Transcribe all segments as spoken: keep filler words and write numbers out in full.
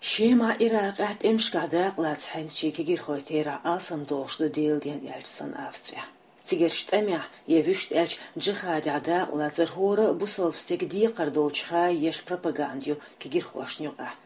Шемахь, Иракъехь тӀемашкахь дакъалаца хьаьнчийн кегирхой терахь алсамдолуш ду, Делан ден аьлча санна, Австрехь. Цигарчу тӀамехь я вуьшта аьлча джихадехь дакъалацар хӀора а бусалба стеган декхар долчу хаа еш пропаганда ю кегирхошна юкъахь.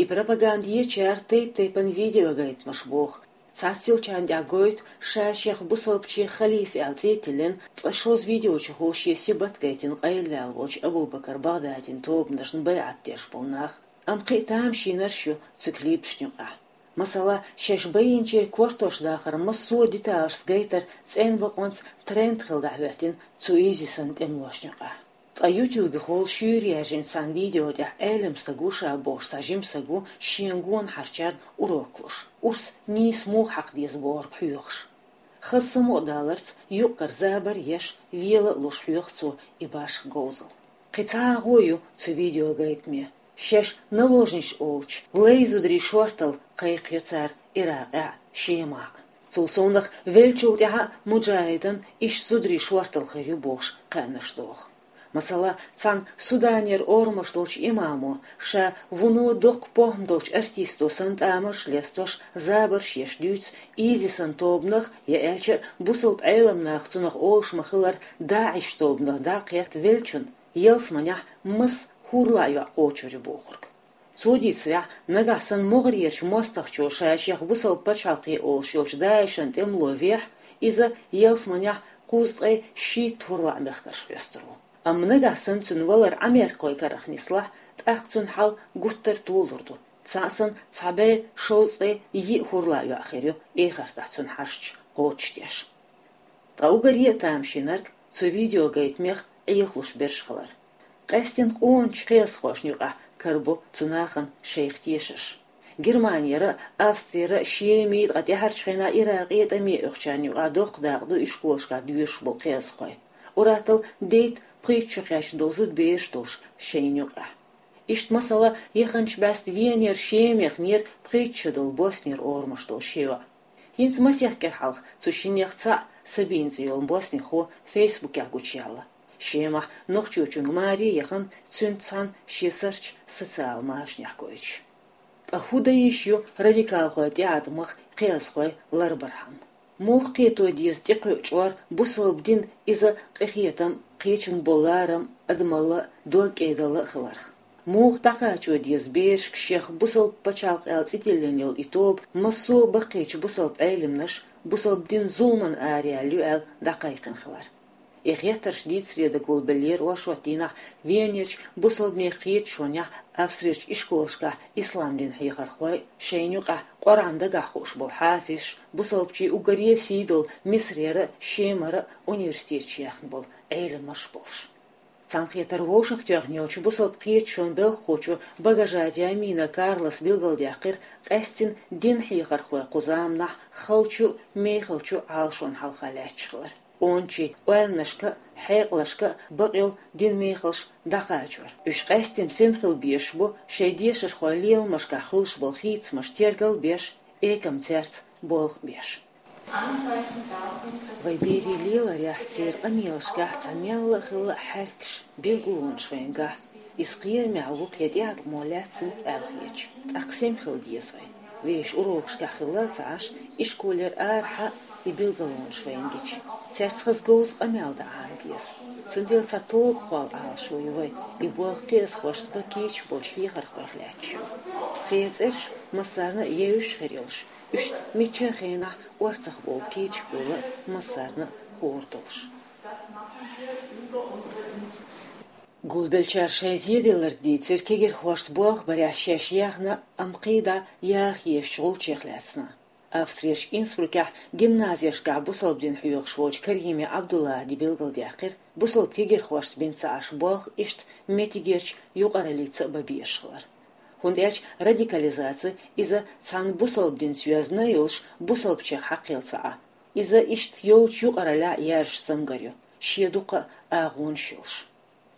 И пропаганда ечара тайп-тайпана видеогайтамаш боху. Цхьацца йолчарна тӀехь гойту ша шех бусалбачийн халифа аьлла цӀе а тиллина, цкъа шозза видеочухула шен сибат гайтина къайлаваьлла волчу Абу-Бакар Багъдадин тобанашна байӀат деш болу нах. Амма кхин а тамашийнарш ю цу клипашна юкъахь. Масала, шаьш байинчеран кортош дахар массо а деталашца гайтар цӀена бакъонца тренд хилла дӀахӀоьттина цу изисан тӀемалошна юкъахь. Ткъа YouTube-ехула шуьйра яьржина цхьана видео тӀехь Ӏелам стаг ву ша бохуш цхьа жима стаг ву шена гонахарчарна урок луш, урс нийса муха хьакха деза бохург хьоьхуш. Хаза самукъадаларца юкъ-кара забар а еш, вела а луш хьоьху цо и башха говзалла. Кхин цхьа агӀо ю цу видеогайтаме. Шаьш наложница олучу лай зударийн шорталла кхайкхайо цара Иракъехь а, Шемахь а. Цул совнаха веллачул тӀаьхьа а муджахӀидан иштта зударийн шорталла хир ю бохуш кхаьънаш доху. Масала, цхьана Суданера орамаш долчу имамо, ша вуно доккха похӀма долчу артисто санна тӀамарш а лестош, забарш а еш дуьйцу изисан тобанах, я аьлча а бусалба Ӏелам наха цунах олуш ма-хиллара, ДаӀиш тобанах дӀакхетта веллачунна ялсаманехь масса хӀурлаъ йоӀ кхочур ю бохург. Цо дийцарехь, нагахь санна могӀарерчу мостагӀчо ша шех бусалба пачхьалкхе олуш йолчу ДаӀишан тӀемало вехь, иза ялсаманехь кхузткъе шийтта хӀурлаъ мехкарш хьоьстур ву. Амма нагахь санна цуьнан валар Ӏамеркахойн карах нислахь, тӀаккха цуьнан хьал гуттар а толур ду. Цхьаъ санна, цхьа бӀе шовзткъе йиъ хӀурлаъ йоӀ хир ю эхартахь цуьнан хьашташ кхочушдеш. Ткъа уггаре а тамашийнарг цу видеогайтамех Ӏехалуш берш хилар. Къаьстина къоначу кхиазхошна юкъахь карабо цу нахана шайх тешарш. Германера а, Австрера а, Шемара а, ткъа тӀаьхьарчу хенахь Иракъе а тӀаме оьхучарна юкъахь доккха дакъа ду ишколашкахь доьшуш болу кхиазхой. Ур-атталла дейтта пхийтта шо кхаьчна долу зудабераш а долуш шайна юкъахь. Иштта, масала, яханчу бӀаьста Венера Шемахь нера пхийтта шо долу Боснера орамаш долу ши йоӀ. ХӀинца масех кӀира хьалха цу шиннех цхьаъ, Сабина цӀе йолу боснихо, Фейсбукехь гучуяьлла. Шемахь нохчочуьнга маре а яхана, цуьнца цхьаьна шен сурташ социал машанехь гойтуш. Ткъа хӀун дан йиш ю радикалхойн тӀеӀаткъамах кхиазхой ларбархьама? Муха кхето деза тӀекхуьу чкъор бусалба дин, иза къинхетам, кхечуьнга болу ларам, адамалла а, дог кӀедалла а хиларх? Муха дӀакхачо деза берашка шех бусалба пачхьалкх аьлла цӀе тиллина йолу и тоба массо а баккхийчу бусалба Ӏелимнаш, бусалба дин зуламан араяьлла ю аьлла, дӀакхайкхина хилар? И хеттарш дийцаре дан гулбеллера оршот дийнахь Венерчу бусалбанийн кхеташонехь Австрерчу ишколашкахь ислам дин хьехархой а, шайна юкъахь Къуръан дагахь хууш болу хьафизаш, бусалбачийн уггаре а сий долу Мисрера а, Шемара а университеташ яьхна болу Ӏелимаш а болуш. Цхьаьнакхетар вовшахтоьхна йолчу бусалба кхеташонан белхахочо Багажати Амина Карлас билгалдаьккхира, къаьстина дин хьехархой кху заманахь халчу а, мехалчу а Ӏалашонна хьалха лаьтташ хилар. Къоначийн ойланашка а, хьекъалашка а бакъйолу динан мехалш дӀакхачор. Уьш къаьстина сема хила безаш бу шайн дешархойн леламашкахь хуьлуш болу хийцамаш тергал а беш, экамца цаьрца болх а беш. Вайн берийн леларехь, церан къамелашкахь цхьа мелла а хилла хьаьркаш, билгалонаш вайна гахь. Иза кхерамехь ву-кх я тӀеӀаткъамо лаьцна аьлла хеташ, тӀаккха сема хила деза вай. Вешан урокашкахь хилла а ца Ӏаш, ишколера арахьа а и билгалонаш вайна гича, цаьрца хаза говза къамел дан Ӏама деза. Цундела цхьа тоба кхолла Ӏалашо ю вайн, и болх кхиазхошца бан кийча болчу хьехархойх лаьтташ ю. Церан цӀераш массарна а евзаш хир йолуш, уьш мичча а хенахь орцахбовла кийча буйла массарна а хуур долуш. Гулбеллачара шайн зеделларг дийцира кегирхошца болх барехь шаьш яьхна, амма кхидӀа яха езачу гӀулчех лаьцна. Австрерчу Инсбрукехь гимназешкахь бусалба дин хьоьхуш волчу Карими Ӏабдуллахьа билгалдаьккхира, бусалба кегирхошца бина ца Ӏаш болх иштта меттигерчу юкъараллица а бан безаш хилар. ХӀунда аьлча радикализаци иза цхьана бусалба динца йоьзна а йолуш, бусалбачех хьакхел ца Ӏа. Иза иштта йолчу юкъараллехь а яьржачу цамгар ю, шен дуккха а агӀонаш йолуш.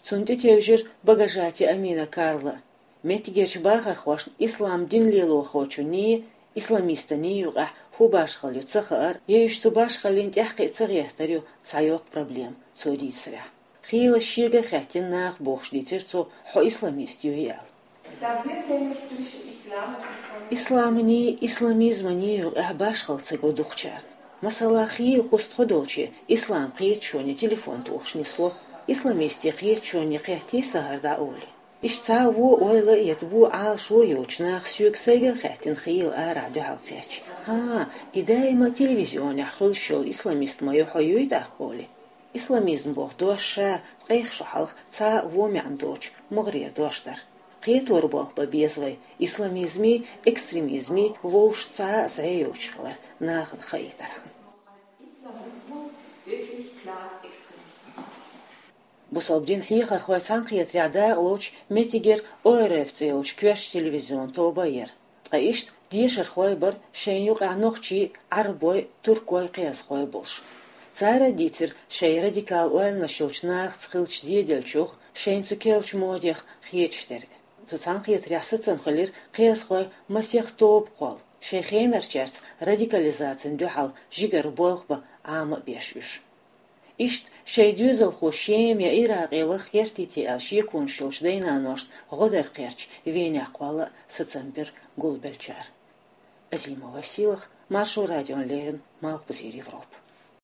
Цунна тӀетевжира Багажати Амина Карла. Меттигерчу бахархошна ислам дин лелорхочунний, исламистанний юкъахь хӀун башхалла ю ца хаар, я уьш цу башхаллин тӀаьхьакхиа ца гӀертар ю цхьа йоккха проблема, цо дийцарехь. Хийла шега а хаьттина наха бохуш дийцира цо, хьо исламист юй аьлла. Da wird nämlich zwischen Islam und Islam Исламаний, исламизманий юкъехь башхалла ца го дукхачарна. Масала, хийла кхузткъа долче ислам кхеташоне телефон тухуш нисло, исламистийн кхеташоне кхеттий са хӀара дӀа олий. Иштта цхьа а вон ойла а, я вон Ӏалашо а йоцуш наха соьга сайга а хаьттина хийла арахь дуьхьал кхетча: «ХӀан, и даима телевизионехь хуьлуш йолу исламист ма ю хьо, юй тӀаккха?» олий. Исламизм боху дош ша ткъех шо хьалха цхьа а вон маьӀна доцуш могӀарера дош дара. Кхетор болх бан беза вай исламизмий, экстремизмий вовшашца цхьа а зӀе йоцуш хилар нахана хаийтархьама. Islamismus wirklich klar Extremismus ist. Бусалба динан хьехархойн цхьаьнакхетарехь дакъалоцуш меттигера О Р Ф цӀе йолчу коьртачу телевизион тоба а яра. Ткъа иштта дешархой бара шайна юкъахь нохчий, Ӏарбой, туркой, кхиазхой болуш. Цара а дийцира шайн радикал ойланаш йолчу нахаца хиллачу зеделлачух, шайна цу керлачу модех хеташ дерг. Цу цхьаьнакхетарехь сацам хилира кхиазхой масех тоба кхолла, шайн хенарчаьрца радикализацина дуьхьал жигара болх бан Ӏама а беш уьш. Иштта шайн доьзалхо Шема я Иракъе ваха гӀертий те аьлла шеконаш йолчу дай-наношна гӀо дар кхерча Венехь кхолла а сацам бира гулбеллачара. Азима Василах, Маршо радиона леррина, Малхбузера Европа.